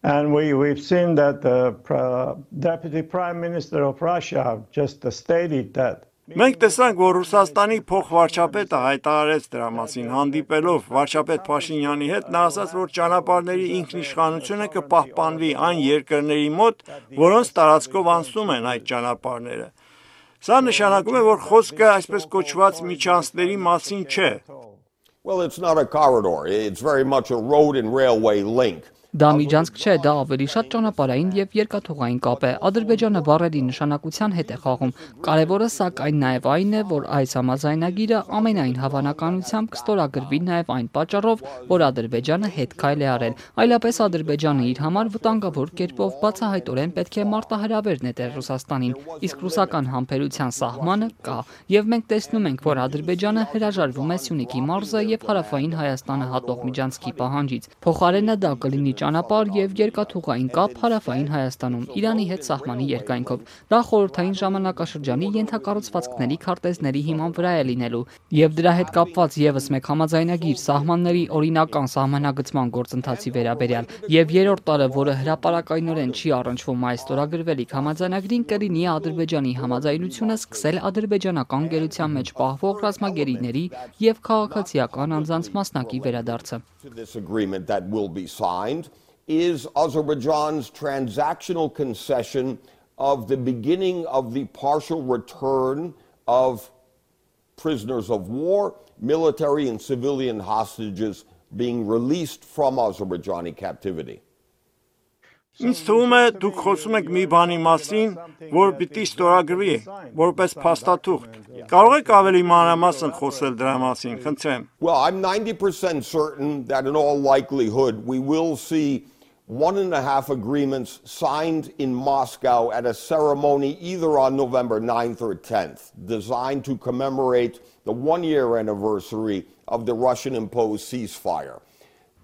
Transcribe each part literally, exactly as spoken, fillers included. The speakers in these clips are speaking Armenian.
And we, we've seen that the uh, Deputy Prime Minister of Russia just uh, stated that Մենք տեսանք, որ Ռուսաստանի փոխվարչապետը հայտարարեց դրա մասին, հանդիպելով վարչապետ Փաշինյանի հետ, նա ասաց, որ ճանապարհների ինքնիշխանությունը կպահպանվի այն երկրների մոտ, որոնց տարածքով անցնում են այդ ճանապարհները։ Սա նշանակում է, որ խոսքը այսպես կոչված միջանցքների մասին չէ։ Well, it's not a corridor. It's very much a road and railway link. Դա միջանցք չէ, դա ավելի շատ ճանապարհային եւ երկաթուղային կապ է։ Ադրբեջանը բառերի նշանակության հետ է խաղում։ Կարևորը սակայն նաեւ այն է, որ այս համաձայնագիրը ամենայն հավանականությամբ կստորագրվի նաեւ այն պատճառով, որ Ադրբեջանը հետ քայլ է արել։ Այլապես Ադրբեջանը իր համար վտանգավոր կերպով բացահայտորեն պետք է մարտահրավեր նետեր Ռուսաստանին, իսկ ռուսական համբերության սահմանը կա։ Եվ մենք տեսնում ենք, որ Ադրբեջանը հրաժարվում է Սյունիքի մարզը եւ հարավային Հայաստանը հատող միջանցքի պահանջից։ Փոխարենը դա կլինի ճանապարհ եւ երկաթուղային կապ հարավային Հայաստանում Իրանի հետ սահմանի երկայնքով։ Դա խորհրդային ժամանակաշրջանի ենթակառուցվածքների քարտեզների հիման վրա է լինելու եւ դրա հետ կապված եւս մեկ համաձայնագիր սահմանների օրինական սահմանագծման գործընթացի վերաբերյալ եւ երրորդ տարը, որը հրապարակայնորեն չի առնչվում այս ստորագրվելիք համաձայնագրին, կլինի Ադրբեջանի համաձայնությունը սկսել ադրբեջանական գերության մեջ պահվող ռազմագերիների եւ քաղաքացիական անձանց մասնակի վերադարձը։ This agreement that will be signed is Azerbaijan's transactional concession of the beginning of the partial return of prisoners of war, military and civilian hostages being released from Azerbaijani captivity. Ինձ թվում է դուք խոսում եք մի բանի մասին, որ պիտի ստորագրվի, որպես փաստաթուղթ։ Կարող եք ավելի մանրամասն խոսել դրա մասին, խնդրեմ։ Well, I'm ninety percent certain that in all likelihood we will see one and a half agreements signed in Moscow at a ceremony either on November ninth or tenth, designed to commemorate the one-year anniversary of the Russian-imposed ceasefire.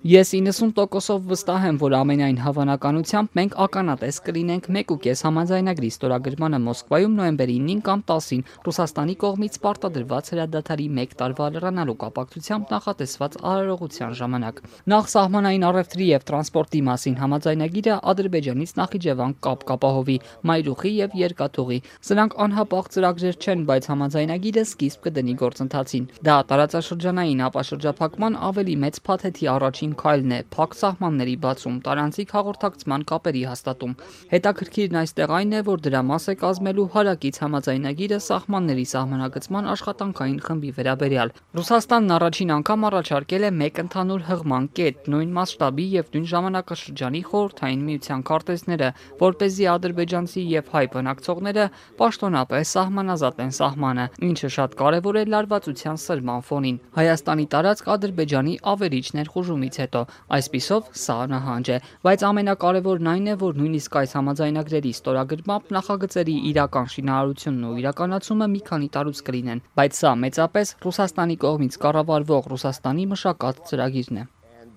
Ես իննսուն տոկոսով վստահ եմ, որ ամենայն հավանականությամբ մենք ականատես կլինենք մեկ ու կես համաձայնագրի ստորագրմանը Մոսկվայում նոյեմբերի ինին կամ տասին Ռուսաստանի կողմից պարտադրված հրադադարի մեկ տարվա լրանալու կապակցությամբ նախատեսված արարողության ժամանակ։ Նախ սահմանային առևտրի եւ տրանսպորտի մասին համաձայնագիրը Ադրբեջանից Նախիջևան կապ կապահովի, Մայրուխի եւ Երկաթուղի։ Սրանք անհապաղ ծրագրեր չեն, բայց համաձայնագիրը սկիզբ կդնի գործընթացին։ Դա տարածաշրջանային ապաշրջափակման ավելի մեծ փաթեթի առաջին քայլն է, փակ սահմանների բացում, տարանցիկ հաղորդակցման կապերի հաստատում։ Հետաքրքիրն այստեղ այն է, որ դրա մաս է կազմելու հարակից համաձայնագիրը սահմանների սահմանագծման աշխատանքային խմբի վերաբերյալ։ Ռուսաստանն առաջին անգամ առաջարկել է մեկ ընդհանուր հղման կետ, նույն մասշտաբի եւ նույն ժամանակաշրջանի խորհրդային միության քարտեզները, որպեսզի ադրբեջանցի եւ հայ բնակցողները պաշտոնապես սահմանազատեն սահմանը, ինչը շատ կարեւոր է լարվածության սրման ֆոնին։ Հայաստանի տարածք Ադրբեջանի ավերիչ ներխուժումից հետո այսպիսով սա նահանջ է, բայց ամենակարևորն այն է, որ նույնիսկ այս համաձայնագրերի ստորագրմամբ նախագծերի իրական շինարարությունն ու իրականացումը մի քանի տարուց կլինեն, բայց սա մեծապես Ռուսաստանի կողմից կառավարվող Ռուսաստանի մշակած ծրագիրն է։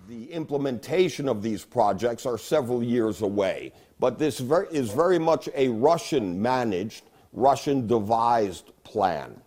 The implementation of these projects are several years away, but this is very much a Russian managed, Russian devised plan.